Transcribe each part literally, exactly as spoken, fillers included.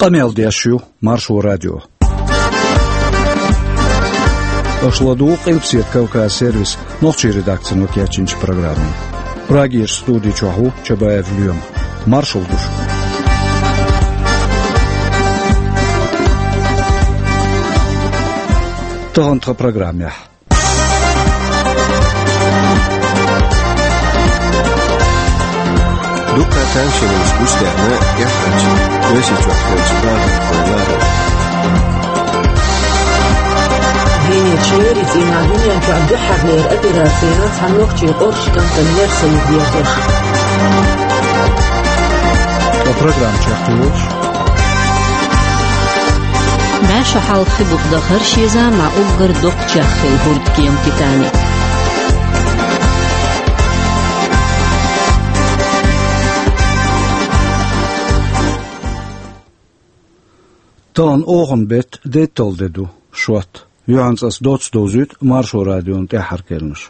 Къамел деш ю Маршо радио. Аша ладугӀу Къилбаседа Кавказ сервисан нохчийн редакцино кечйинчу программе. Прагерчу студи чохь ву Чабаев Лоьма. Маршалла ду шуьга. Тахана тхан программехь. Дуккха а тамашийна гучудаьхна тӀаьххьарчу Оьрсийчохь хиллачу бахархойн ларар. Венерчу леррина цӀийнахь дуьнен чохь дуьххьарлера операцина цхьа нохчийн къорш кӀантана нерсалла дезаш. Ткъа программа чекхдевлча, бӀе шо хьалха хи буха дахара ши эзар мӀа уггар доккха чехка хилла хӀордкема Титаник. Тахана оханан беттан дейтталгӀа де ду, шот. Юьхьанца ас доцца довзуьйту Маршо радион тӀаьххьара керланаш.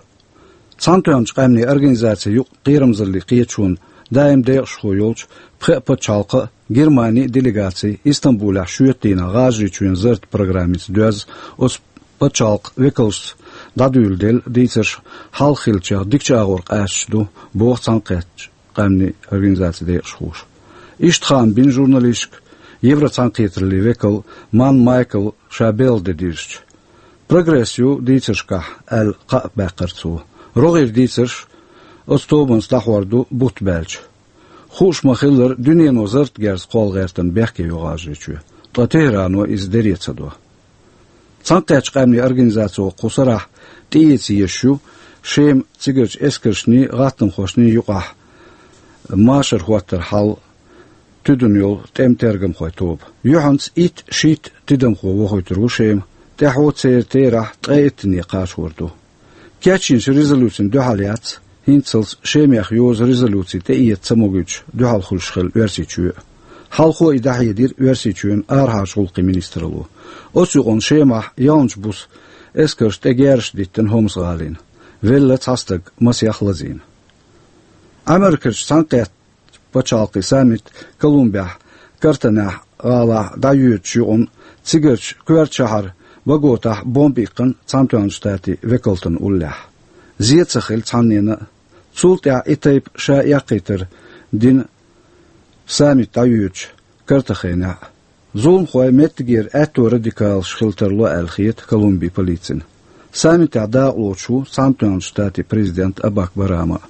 Цхьаьнатоьхначу къаьмнийн организацийн юкъа кхерамзаллин кхеташонан даим декъашхо йолчу пхеа пачхьалкхан а, Германин а делегаци Истамбулехь шоьтан дийнахь ГӀажарийчоьнан зарратан программица доьзна оцу пачхьалкхан векалшца дӀадуьйладелла дийцарш хьалха хиллачех дикачу агӀор къаьсташ ду, боху Цхьаьнакхеттачу къаьмнийн организацин декъашхоша. Иштта хаам бина журналисташка Евроцхьаьнакхетараллин векал Манн Майкла ша белхалде дирзича. «Прогресс ю дийцаршкахь», аьлла, кхаъ баьккхира цо. РогӀера дийцарш оцу тобанца дӀахьор ду бутт баьлча. Хууш ма-хиллара, дуьнено зарратан герз кхолла гӀертарна бехке йо ГӀажарийчоь, ткъа ТехӀрано иза дере ца до. Цхьаьнакхеттачу къаьмнийн организацо кху сарахь тӀеэца езаш ю Шема цигарчу эскаршний, гӀаттамхошний юкъахь машар хӀоттаран хьал туьдана йолу тӀеман тергамхойн тоба. Юьхьанца итт-шийтта тидамхо вохуьйтур ву Шема, тӀаьхьо церан терахь ткъе иттанна кхачор ду. Кечйинчу резолюцина дуьхьал яц хӀинццалц Шемех йозу резолюци тӀеэца ца могуьйтуш дуьхьал хуьлуш хилла Оьрсийчоь а. Хьалхо и дӀахьедира Оьрсийчоьнан арахьарчу гӀуллакхийн министралло. Оцу юкъанна Шемахь ялханчу буса эскарш тӀе герзаш диттина Хомс-гӀалина. Велла цхьа стаг, масех лазийна. Ӏамеркарчу Цхьаьнакхеттачу пачхьалкхийн саммит Колумбехь Картахена гӀалахь дӀайоьдучу юкъанна цигарчу коьртачу шахьар Боготахь бомба иккхина Цхьаьнатоьхначу Штатийн векалтан уллехь. Зен ца хилла цхьаннена а. Цул тӀаьхьа и тайпа ша эккхийтар дина саммит дӀайоьдучу Картахенехь а. Зуламхой меттигера аьтто радикалаш хила тарло аьлла хета Колумбин полицина. Саммитехь дакъалоцуш ву Цхьаьнатоьхначу Штатийн президент Барак Обама а.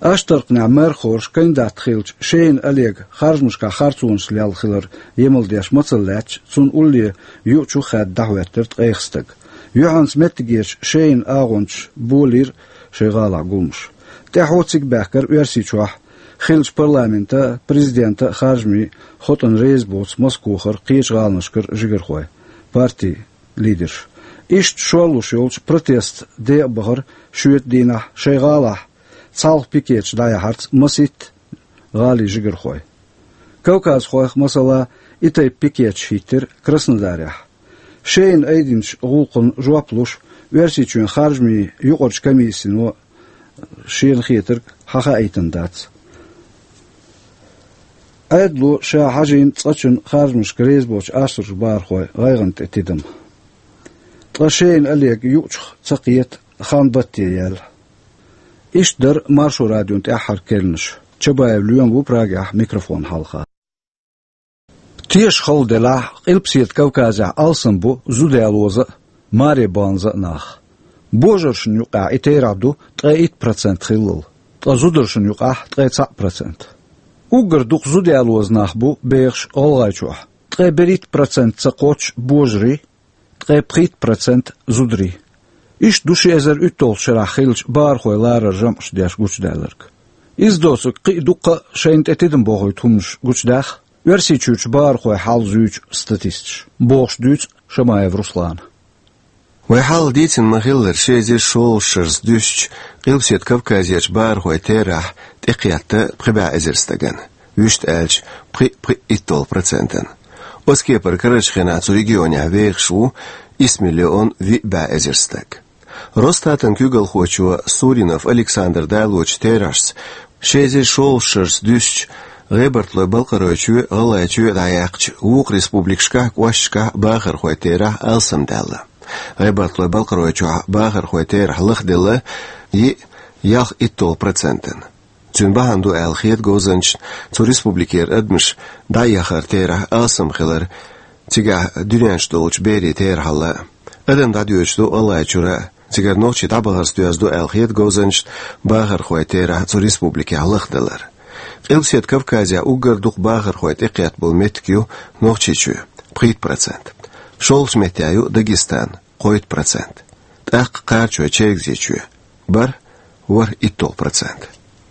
Аштаркханехь мэрхойн кандидат хиллачу Шейн Олега харжамашкахь харцонаш лелла хилар емал деш мацалла лаьтташ, цунна улле юучух хаьдда дӀахӀоьттира ткъех стаг. Юьхьанца меттигерчу Шейн агӀончаша болийра шайн гӀалахь гуламаш. ТӀаьхьо цига баьхкира Оьрсийчохь хиллачу парламентан а, президентан а харжамийн хотӀана реза боцу Москохара, кхечу гӀаланашкара жигархой, партийн лидерш. Иштта шорлуш йолчу протестан декъан бахара шоьтан дийнахь шайн гӀалахь цхьалха пикеташ дӀаяхьарца масийтта гӀалин жигархой. Кавказхойх, масала, и тайпа пикеташ хӀиттира Краснодарехь. Шейна айдинчу гӀуллакхана жоп луш, Оьрсийчоьнан харжамийн юкъарчу комиссино шена хетарг хьахаийтина дац. Ӏедало ша хьажийна цкъачунна харжамашка реза боцчу аштаркхерчу бахархойн гӀайгӀанна тӀе тидам. Ткъа Шейн Олега юучух ца кхета хан батте яьлла. Иштта дара Маршо радион тӀаьххьара керланаш. Чабаев Лоьма ву Прагехь микрофон хьалха. Теша хала делахь, Къилбаседа Кавказехь алсам бу зуда ялоза а, маре баланза а нах. Божаршна юкъахь и терахь ду ткъе итт процент хиллал, ткъа зударшна юкъахь ткъе цхьаъ процент. Уггар дукха зуда ялоза нах бу бехаш ГӀалгӀайчохь, ткъе берхӀитта процент ца кхоччуш божарий, ткъе пхийтта процент зударий. Иштта ду ши эзар уьтталгӀачу шарахь хиллачу бахархойн лараран жамӀаш деш гучудаьлларг. Иза доцург кхин а дуккха а шайна тӀе тидам бохуьйту хӀуманаш гучудаьхна Оьрсийчуьрчу бахархойн хьал зуьйчу статисташа, бохуш дуьйцу Шамаев Руслана. Вай хьалха дийцина ма-хиллара, ши эзар шолгӀачу шарца дуьстича, Къилбаседа Кавказерчу бахархойн терахь тӀекхетта пхи бӀе эзар стагана, вуьшта аьлча, пхи-пхиъ итталгӀа процентана. Оцу кепара карарчу хенахь цу регионехь вехаш ву исс миллион виъ бӀе эзар стаг. Росстатан куьйгалхочо Суринов Александра далочу терахьашца, ши эзар шолгӀачу шарца дуьстича, ГӀебартӀалой-Балкхаройчоь, ГӀалгӀайчоь дӀаяьккхача вукху республикашкахь, кӀошташкахь бахархой терахь алсамдаьлла. ГӀебартӀалой-Балкхаройчохь бахархой терахь лахделла йиъ ялх итталгӀа процентана. Цуьнан бахьана ду аьлла хета говзанчашна цу республикера адамаш дӀаэхар терахь алсам хилар, цигахь дуьнен чу долчу берийн терахьалла. Адам дӀадоьдуш ду ГӀалгӀайчуьра, цигара нохчий дӀабахарца доьзна ду аьлла хета говзанчашна бахархой терахь цу республикехь лахделар. Къилбаседа Кавказехь уггар дукха бахархой тӀекхетта болу меттиг ю Нохчийчоь, пхийтта процент. ШолгӀачу меттехь ю Дагестан, кхойтта процент. ТӀаккха Кхарачой, Чергазийчоь, бархӀ, ворхӀ итталгӀа процент.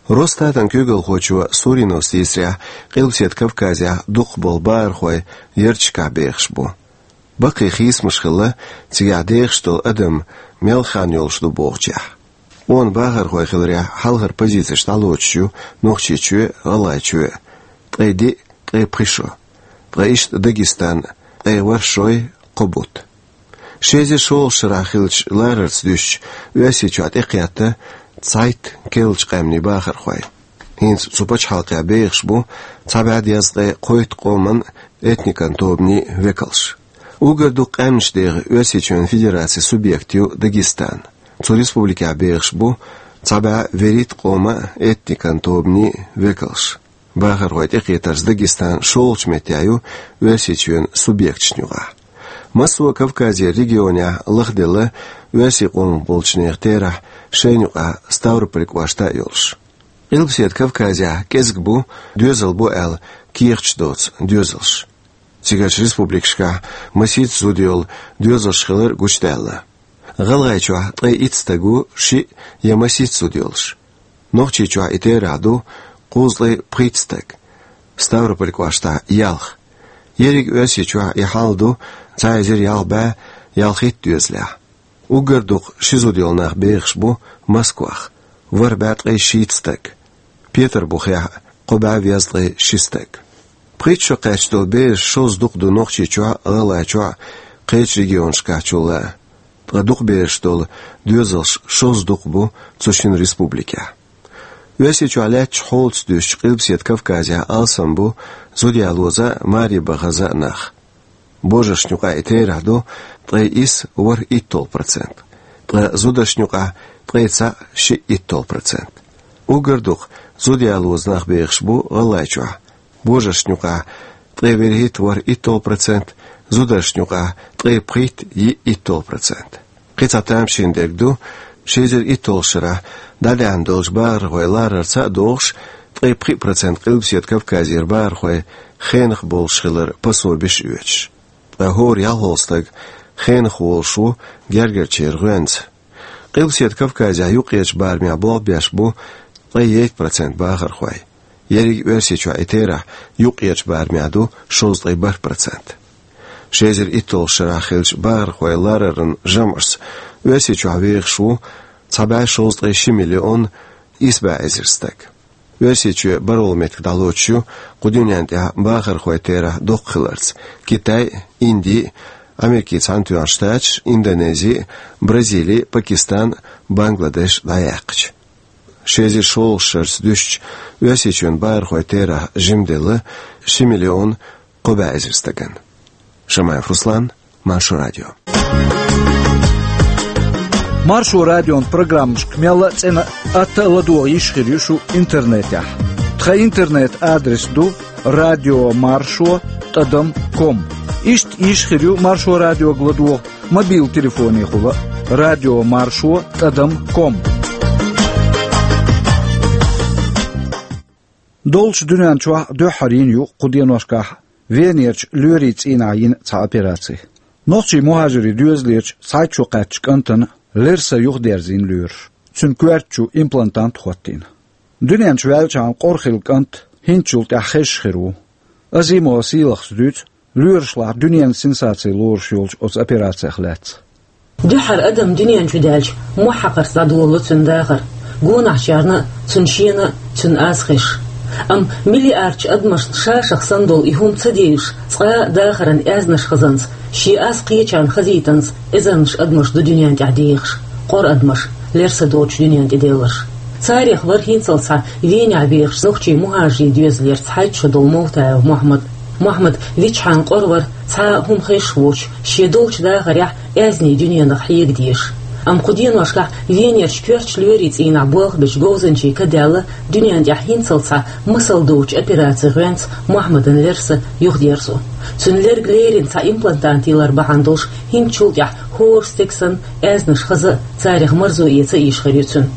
Росстатан куьйгалхочо Суринова Сесрехь Къилбаседа Кавказехь дукхахболу бахархой ярташкахь бехаш бу. Баккхий хийцамаш хилла, цигахь дехаш долу адам мел хан йолуш ду бохучехь. Къона бахархой хиларехь хьалхара позицеш дӀалоцуш ю Нохчийчоь, ГӀалгӀайчоь, ткъе диъ, ткъе пхи шо, ткъа иштта Дагестан, ткъе ворхӀ шой, кхо бутт. Ши эзар шолгӀачу шарахь хиллачу ларарца дуьстича, Оьрсийчохь тӀекхетта цхьайтта керлачу къаьмнийн бахархой. ХӀинца цу пачхьалкхехь бехаш бу цхьа бӀе дезткъе кхойтта къоман, этникан тобанийн векалш. Уггар дукха къаьмнаш деха Оьрсийчоьнан Федерацин субъект ю Дагестан. Цу республикехь бехаш бу цхьа бӀе вуьрхӀитта къоман, этникан тобанийн векалш. Бахархой тӀекхетарца Дагестан шолгӀачу меттехь ю Оьрсийчоьнан субъекташна юкъахь. Массо а Кавказера регионехь лахделла оьрсийн къомах болчу нехан терахь шайна юкъахь Ставрополь кӀошта а йолуш. Къилбаседа Кавказехь кӀезиг бу, доьзал бу аьлла кехаташ доцу доьзалш. Цигарчу республикашкахь масийтта зуда йолу доьзалш хилар гучудаьлла. ГӀалгӀайчохь ткъе итт стаг ву шиъ я масийтта зуда йолуш. Нохчийчохь и терахь ду кхузткъе пхийтта стаг, Ставрополь кӀоштахь ялх. Ерриг Оьрсийчохь и хьал ду цхьа эзар ялх бӀе ялхитта доьзалехь. Уггар дукха ши зуда йолу нах бехаш бу Москвахь, ворхӀ бӀе ткъе шийтта стаг. Петарбухехь кхо бӀе везткъе ши стаг. Пхийтта шо кхаьчна долу бераш шозза дукха ду Нохчийчохь а, ГӀалгӀайчохь а, кхечу регионашкахьчул а. Ткъа дукха бераш долу доьзалш шозза дукха бу цу шина республикехь. Оьрсийчохь лаьттачу хьолаца дуьстича, Къилбаседа Кавказехь алсам бу зуда ялоза а, маре бахаза а нах. Божаршна юкъахь и терахь ду ткъе исс, ворхӀ итталгӀа процент, ткъа зударшна юкъахь ткъе цхьаъ, шиъ итталгӀа процент. Уггар дукха зуда ялоза нах бехаш бу ГӀалгӀайчохь, божаршна юкъахь ткъе вуьрхӀитта, ворхӀ итталгӀа процент, зударшна юкъахь ткъе пхийтта, йиъ итталгӀа процент. Кхин цхьа тамашийна дерг ду, ши эзар итталгӀачу шарахь дӀадаьхьна долчу бахархойн ларарца а догӀуш, ткъе пхиъ процент Къилбаседа Кавказера бахархой хенахь болуш хилар пособиш а оьцуш. Ткъа хӀора ялхолгӀа стаг хенахь волуш ву гергарчеран гӀоьнца. Къилбаседа Кавказехь юккъерчу барамехь болх беш бу ткъе итт процент бахархой. Ерриг Оьрсийчохь и терахь юккъерчу барамехь ду шовзткъе бархӀ процент. Ши эзар итталгӀачу шарахь хиллачу бахархойн лараран жамӀашца Оьрсийчохь вехаш ву цхьа бӀе шовзткъе ши миллион исс бӀе эзар стаг. Оьрсийчоь бархӀалгӀа меттиг дӀалоцуш ю кху дуьнен тӀехь бахархойн терахь доккха хиларца: Китай, Инди, Америкин Цхьаьнатоьхна Штаташ, Индонези, Бразили, Пакистан, Бангладеш дӀаяьккхича. Ши эзар шолгӀачу шарца дуьстича, Оьрсийчоьнан бахархойн терахь жимделла ши миллион кхо бӀе эзар стагана. Шамаев Руслан, Маршо радио. Маршо радион программашка мелла а цӀена, атта а ладогӀа йиш хир ю шу интернетехь. Тхан интернет-адрес ду радио маршо тӀадам ком. Иштта йиш хир ю Маршо радиога ладогӀа мобил телефонехула: радио маршо тӀадам ком. Долчу дуьнен чохь дуьххьара йина ю кху деношкахь Венерчу лоьрийн цӀийнахь йина цхьа операци. Нохчийн мухӀажирийн доьзалерчу цхьайтта шо кхаьчначу кӀантана лерса юхадерзийна лоьраш. Цуьнан коьрта чу имплантант хӀоттийна. Дуьнен чу ваьллачхьана къора хилла кӀант хӀинцачул тӀаьхьа хезаш хир ву. Азимова Сийлахас дуьйцу лоьрашлахь дуьненан сенсаци лоруш йолчу оцу операцех лаьцна. Дуьххьара адам дуьнен чу даьлча, мохь хьакхарца дӀадолало цуьнан дахар, гонахьчарна а, цуьнан шена а, цуьнан аз хезаш. Амма миллиардчу адамашна ша-шах санна долу и хӀума ца девзаш, цкъа а дахаран аьзнаш хазанца, шен аз кхечарна хазийтанца, эзарнаш адамаш ду дуьнен тӀехь дехаш, къора адамаш, лерса доцуш дуьнен тӀе девлларш. Царех вар хӀинцалц Венехь бехаш нохчий мухӀажарийн доьзалера цхьайтта шо долу Мовтаев Мохьмад. Мохьмад вичхьана къора вара, цхьа а хӀума хезаш воцуш, шен долчу дахарехь аьзнийн дуьненах хьега дезаш. Амма кху деношкахь Венерчу коьртачу лоьрийн цӀийнахь болх бечу говзанчийн ка даьлла, дуьнен тӀехь хӀинцалц масал доцучу операцин гӀоьнца Мохьмадан лерса юхадерзо. Цуьнан лерг лерина цхьа имплантат ялар бахьана долуш, хӀинцачул тӀаьхьа хӀора стеган санна аьзнаш хаза а, царех марзо эца а йиш хир ю цуьнан.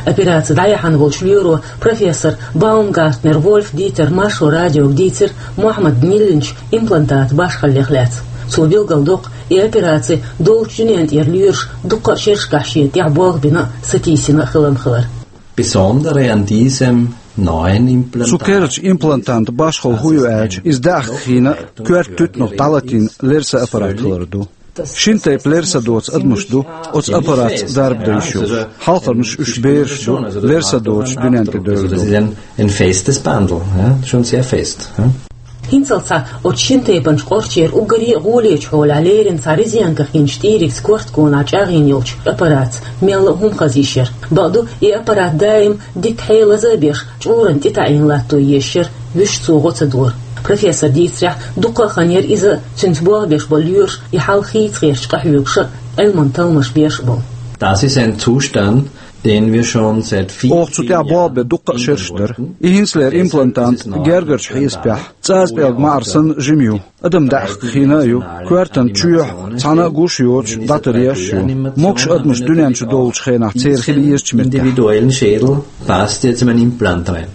Операци дӀаяьхьна волчу лоьро, профессор Баумгартнер Вольф Дитера Маршо радиога дийцира Мохьмадан йиллинчу имплантатан башхаллех лаьцна. Цо билгалдоккху, и операци долчу дуьнен тӀера лоьраша дуккха а шерашкахь шена тӀехь болх бина а, сатийсина а хилам хилар. Besondere an diesem neuen Implantat. Цу керлачу имплантантан башхалла хӀун ю аьлча, иза даьхкина а, коьрта туьтанах дӀалатийна лерса аппарат хилар ду. Шина тайпа лерса доцу адамаш ду оцу аппаратца дарба дан йиш йолуш. Хьалхарнаш уьш бераш ду, лерса доцуш дуьнен тӀе девлла ду. Ein festes Bandel, ja, schon sehr fest, ja. ХӀинцалц оцу шина тайпанчу къорчера уггаре а гӀолечу хьолехь лерина цхьа резинках йинчу тӀийригца корта гонахь чӀагӀйина йолчу аппаратца мелла а хӀума хаза йиш яра. Бакъду, и аппарат даим дика хьелаза а беш, чкъурана тӀетаӀийна латто езаш яра, вуьш цо гӀо ца дора. Профессора дийцарехь, дуккха а хан яра иза а, цуьнца болх беш болу лоьраш а, и хьал хийца гӀерташ къахьоьгуш а, Ӏилманан талламаш беш а болу. Das ist ein Zustand, den wir schon seit vielen, vielen Jahren in Oha, цу тӀехь болх бен дуккха а шераш дара. И хӀинцалера имплантант гергарчу хьесапехь цӀаза пӀелг маӀар санна жима ю. Адам даьхкина а ю, коьртан чоьхьа цхьана а гуш йоцуш дӀатаръеш а ю. Могуш адамаш дуьнен чу долучу хенахь церан хила езачу меттехь. Individuellen Schädel passt jetzt mein Implant rein.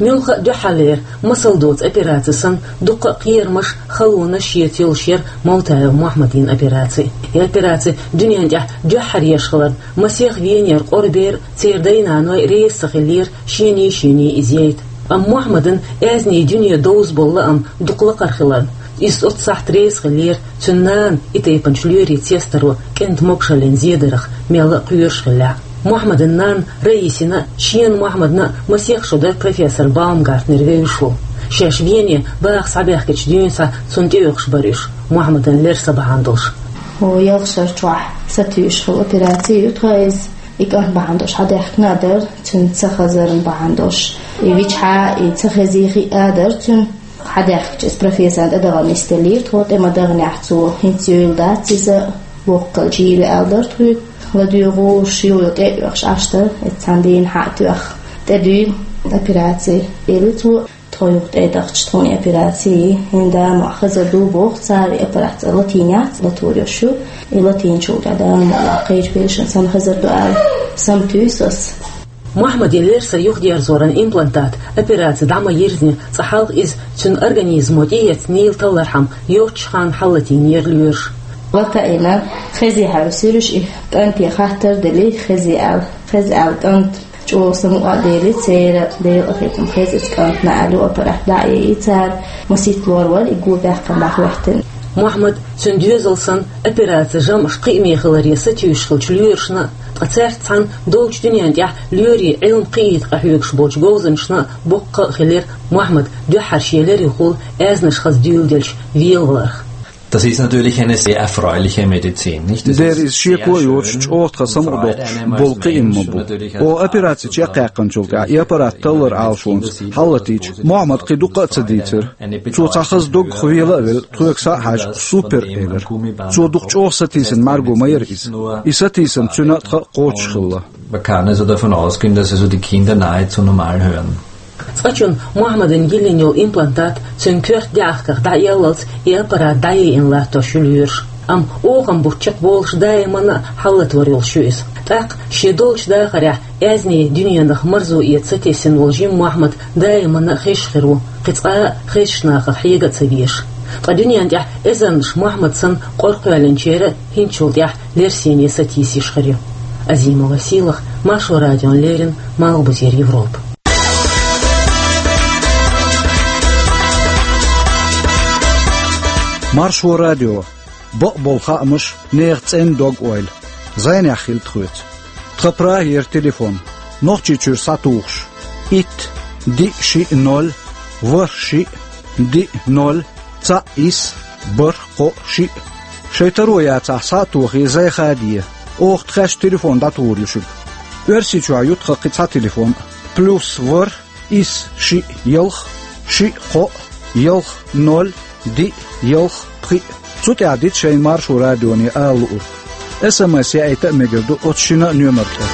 Муьлхха а дуьххьарлера, масал доцу операци санна, дуккха а кхерамаш, халонаш шеца йолуш яра Мовтаев Мохьмадин операци. И операци дуьнен тӀехь дуьххьара еш хиларна, масех Венера къора бер а, церан дай-наной реза ца хиллера шений-шений иза яйта. Амма Мохьмадан аьзнийн дуьне довза болу лаам дукха лакхара хиларна, иза оццу сахьт реза хиллера, цуьнан нана и тайпанчу лоьрийн цестаро кӀентан могушаллин зедарах мелла а кхоьруш хиллехь. Мохьмадан нанна Раисина а, шена Мохьмадна а масех шо дара профессор Баумгартнер вевзаш волу. Шаьш Вене баха схьабаьхкича дуьйна схьа цунна тӀеоьхуш бара уьш, Мохьмадан лерса бахьана долуш. О, ялх шарчохь сатуьйсуш хилла операци ю тхан иза. И кӀант бахьана долуш схьадаьхкина а дара, цуьнан ца хазарна бахьана долуш. И вичхьа, и ца хезий хиъна а дара цуьнан. Схьадаьхкича иза профессорна тӀедагӀа нисделлера тхо, тӀе ма-дагӀанехь цо, хӀинца йойла дац иза, воккхал чийла аьлла дара тхоьга. ЛадуьйгӀуш, йойла тӀе а оьхуш Ӏаш дара, эццахь дийна хьа а тоьхна, тӀедуьйла операци, элира цо. Тхо юха тӀе а дахча, тхуна и операци, хӀинца Дала мукъ лахь хазар ду боху цара, и аппарат цкъа латийна яц, латор йолуш ю. И латийначул тӀаьхьа Дала мукъ лахь кхечу белшан санна хазар ду аьлла, саматуьйсу ас. Мохьмадан лерса юхадерзоран имплантат операци дӀа ма-йирзина, цкъа хьалха иза цуьнан организмо тӀеэцна нийла таллархьама йоццачу ханна хьаллатийнера лоьраша. Латаийна, хезий хьаьвсира уьш и, кӀанте хаттар а делира, хезий аьлла, хеза аьлла кӀант. ЧӀогӀа самукъа а делира церан, Делан къинхетам, хеза иза кӀантана аьлла, аппарат дӀа а яйи цара, масийтта лор вара и го баьккхина дӀахӀоьттина. Мохьмад, цуьнан доьзал санна, операцин жамӀаш кхиаме хиларе сатуьйсуш хиллачу лоьрашна а, ткъа цаьрца цхьаьна долчу дуьнен тӀехь лоьрийн Ӏилма кхиийта къахьоьгуш болчу говзанчашна а боккха а хилира Мохьмад дуьххьара шен леррихула аьзнаш хаза дуьйладелча велаваларх. Das ist natürlich eine sehr erfreuliche Medizin, nicht? Das ist sehr schön und, äh, erfreulich. Дера иза шеко йоцуш, чӀогӀа тхан самукъадоккхуш болу кхиам ма бу. Оха операци чекхъяьккхинчул тӀаьхьа и аппарат таллар Ӏалашонца хьаллатийча, Мохьмада кхин дуккха а ца дийцира. Цо цхьа хаза доггах вела а велла, тхоьга схьа а хьаьжна, супер, элира. Цо дукха чӀогӀа сатийсина мӀаьрго ма яра иза. И сатийсам цуьнан а, тхан а кхочуш хилла. Man kann also davon ausgehen, dass also die Kinder nahezu normal hören. Цкъачунна Мохьмадана йиллина йолу имплантат цуьнан коьрта даьӀахках дӀаэллалц и аппарат дӀаяйина латтош ю лоьраша. Амма охам бутт чекхболуш даиманна а хьаллатор йолуш ю иза. ТӀаккха шен долчу дахарехь аьзнийн дуьненах марзо эца сатесна волу жима Мохьмад даиманна а хезаш хир ву, кхин цкъа а хезачу нахах хьега а ца везаш. Ткъа дуьнен тӀехь эзарнаш Мохьмад санна къора кхоьллинчеран а хӀинцачул тӀаьхьа лерсене сатийсаш хир ю. Азимова Сийлаха, Маршо радиона леррина, Малхбузера Европа. Маршо радио. Бакъболу хаамаш, нехан цӀена дог-ойла. Зайнехь хила тхоьца. Тхан Прагера телефон. Нохчийчуьра схьатухуш: итт, диъ, шиъ, ноль, ворхӀ, шиъ, диъ, ноль, цхьаъ, исс, бархӀ, кхоъ, шиъ. Шайн таро яцахь, схьа а тохий, зай хаде. Оха тхаьш телефон дӀатухур ю шуьга. Оьрсийчохь ю тхан кхин цхьа телефон: плюс ворхӀ, исс шиъ ялх, шиъ кхоъ, ялх ноль, диъ ялх пхиъ. Цу тӀехь дита шайна Маршо радионе ала луург. СМС яийта а мегар ду оцу шина а номер тӀе.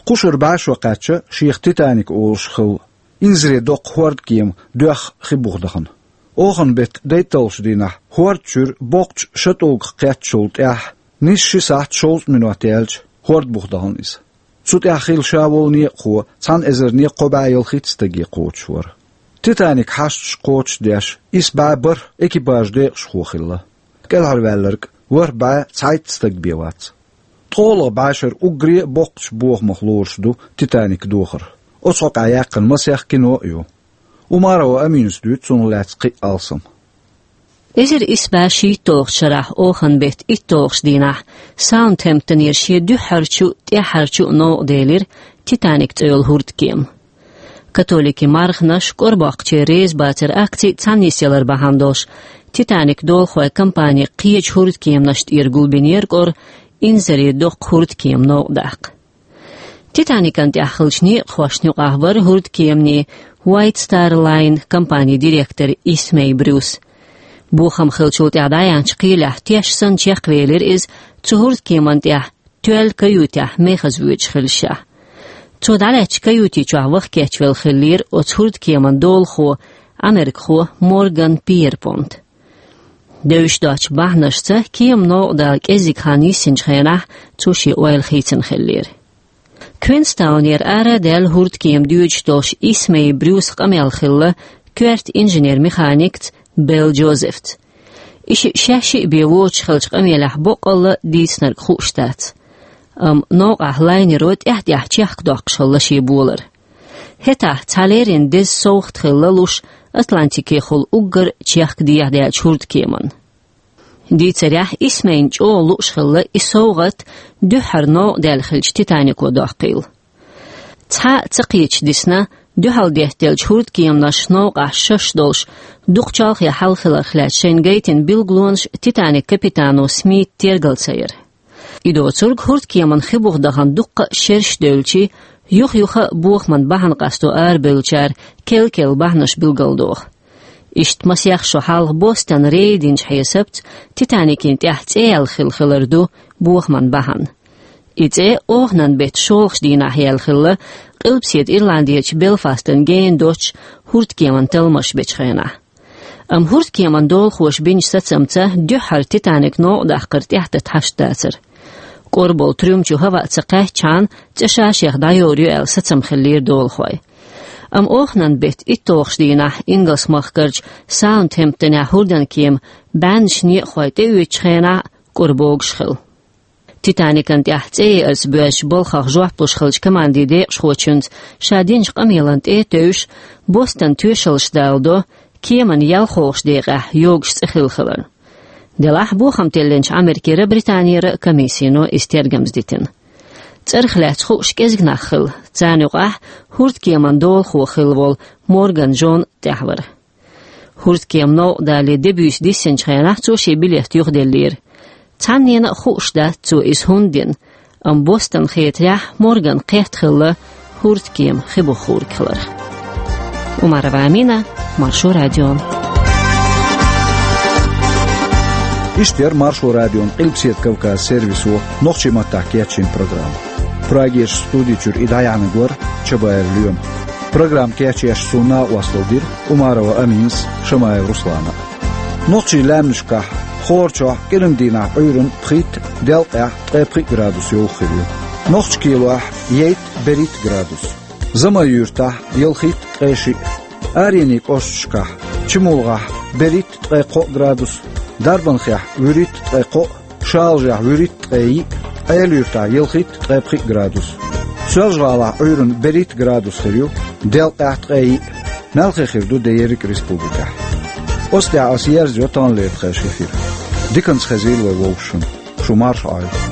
Кху шарахь бӀе шо кхаьчна шех Титаник олуш хилла инзаре доккха хӀордкема доьхна хи буха дахана. Оханан беттан дейтталгӀачу дийнахь хӀорда чуьра боккхачу шатӀугах кхеттачул тӀаьхьа нийсса ши сахьт шовзткъа минот яьлча хӀорда буха дахана иза. Цу тӀехь хилла ша волу некъахо цхьана эзарне кхо бӀе ялхитта стаге кхочуш вара. Титаник хьашташ кхочушдеш, исс бӀе бархӀ экипажан декъашхо хилла. КӀелхьарваьлларг ворхӀ бӀе цхьайтта стаг бен вац. ТкъолгӀа бӀешарахь уггаре а боккхачу бохамах лоруш ду Титаник дохар. Оцу хьокъехь яьккхина масех кино а ю. Умарова Аминас дуьйцу цунах лаьцна кхин а алсам. Эзар исс бӀе шийтталгӀачу шарахь оханан беттан итталгӀачу дийнахь Саутгемптонера шен дуьххьарчу а, тӀаьххьарчу а новкъа делира Титаник цӀе йолу хӀордкема. Католикийн марханаш кӀорбоккхучеран реза бацаран акци цхьаьна нисъялар бахьана долуш, Титаник долахойн компани кхечу хӀордкеманаш тӀера гулбинера кӀора инзаре доккха хӀордкема новкъа даккха. Титаникан тӀехь хиллачу некъахошна юкъахь вара хӀордкеманийн White Star Line компанин директор Исмей Брюс. Бохам хиллачул тӀаьхьа дӀаяьхьначу кхелехь теш санна чекхвелира иза цу хӀордкеман тӀехь тоьлла каютехь мехаза воьдуш хиллашехь. Цо дӀалаьцначу каюти чохь ваха кечвелла хиллера оцу хӀордкеман долахо, америкахо Морган Пьерпонт. Девзаш доцучу бахьанашца кема новкъа дала кӀеззиг хан йиссинчу хенахь цо шен ойла хийцина хиллера. Квинстаунера ара а даьлла хӀордкема доьдуш долуш Исмей Брюсан къамел хилла коьрта инженер-механикца Белл Джозефца. И шиъ шаьш шиъ бен воцуш хиллачу къамелехь боккъалла дийцинарг хууш дац. Амма новкъахь лайнеро тӀаьхь-тӀаьхьа чехкадоккхуш хилла шен болар. ХӀетахь цхьа леррина деза совгӀат хилла луш Атлантикехула уггар чехка дехьадаьллачу хӀордкеманна. Дийцарехь, Исмейна чӀогӀа лууш хилла и совгӀат дуьххьара новкъа даьлла хиллачу Титанико доккхийла. Цхьа а ца кхеташ дисна, дуьхьал деттаделлачу хӀордкеманаш новкъахь шаш долуш, дукха чолхе хьалха хиларх лаьцна шайна гайтина билгалонаш Титаник капитано Смита тергал ца яра. И доцург хӀордкеман хи буха дахана дуккха а шераш девлчи, юха-юха а бохаман бахьана къасто арабевллачара кел-кел бахьанаш билгалдоху. Иштта масех шо хьалха Бостон рейд йинчу хьесапца Титаникин тӀехь цӀе яьлла хилла хилар ду бохаман бахьана. И цӀе оханан беттан шолгӀачу дийнахь яьлла хилла Къилбаседа Ирландерчу Белфастан гена доцчу хӀордкеман талламаш бечу хенахь. Амма хӀордкеман долахоша бинчу сацамца дуьххьара Титаник новкъа даккхар тӀаьхьататта хьашт дацара. КӀора болу трюм чу хӀаваъ ца кхаьччхьана, цӀе ша-шех дӀайовр ю аьлла сацам хиллера долахойн. Амма оханан беттан итталгӀачу дийнахь Ингалс-махкарчу Саутгемптонехь хӀордан кема бӀеннаш некъахой тӀеоьцучу хенахь а кӀора богуш хилла. Титаникан тӀехь цӀе еарца боьзначу балхах жоп луш хиллачу командин декъашхочуьнца ша динчу къамелан тӀе а тевжаш, Бостон тоьшаллаш даладо кеман ялхолгӀачу декъехь йогуш цӀе хилла хиларна. Делахь бохам теллинчу Ӏамеркера а, Британера а комиссино иза тергамза дитина. ЦӀарах лаьцна хууш кӀезиг нах хилла, царна юкъахь хӀордкеман долахо хилла волу Морган Джон тӀехь вара. ХӀордкема новкъа далале де-буьйса диссинчу хенахь цо шен билет юхаделлера. Цхьаннена а хууш дац цо иза хӀунда дина, амма Бостон хетарехь Морган кхетта хилла хӀордкема хи буха хӀорг хиларх. Умарова Амина, Маршо радио. Иштта яра Маршо радион Къилбаседа Кавказ сервисо нохчийн маттахь кечйина программа. Прагерчу студи чуьра и дӀаяьхьнарг вара Чабаев Лоьма. Программа кечъеш суна накъосталла дира Умарова Аминас, Шамаев Руслана. Нохчийн лаьмнашкахь хӀора чохь кӀиран дийнахь Ӏуьйранна пхийтта, делкъехь ткъе пхиъ градус йовха хир ю. Нохчийн кӀирлахь ейтта, берхӀитта градус. Замай-Юьртахь ялхитта, ткъе шиъ. Аренийн кӀошташкахь: Чимулгахь берхӀитта, ткъе кхоъ градус, Дарбанхехь вуьрхӀитта, ткъе кхоъ, Шалажехь вуьрхӀитта, ткъе йиъ, Ӏела-Юьртахь ялхитта, ткъе пхиъ градус. Соьлжа-ГӀалахь Ӏуьйранна берхӀитта градус хир ю, делкъехь ткъе йиъ. Мелхо хир ду де ерриг республикехь. Оцу тӀехь ас ерзайо таханлера тхайн эфир. Диканца хезийла вай вовшашна. Шу марша Ӏойла.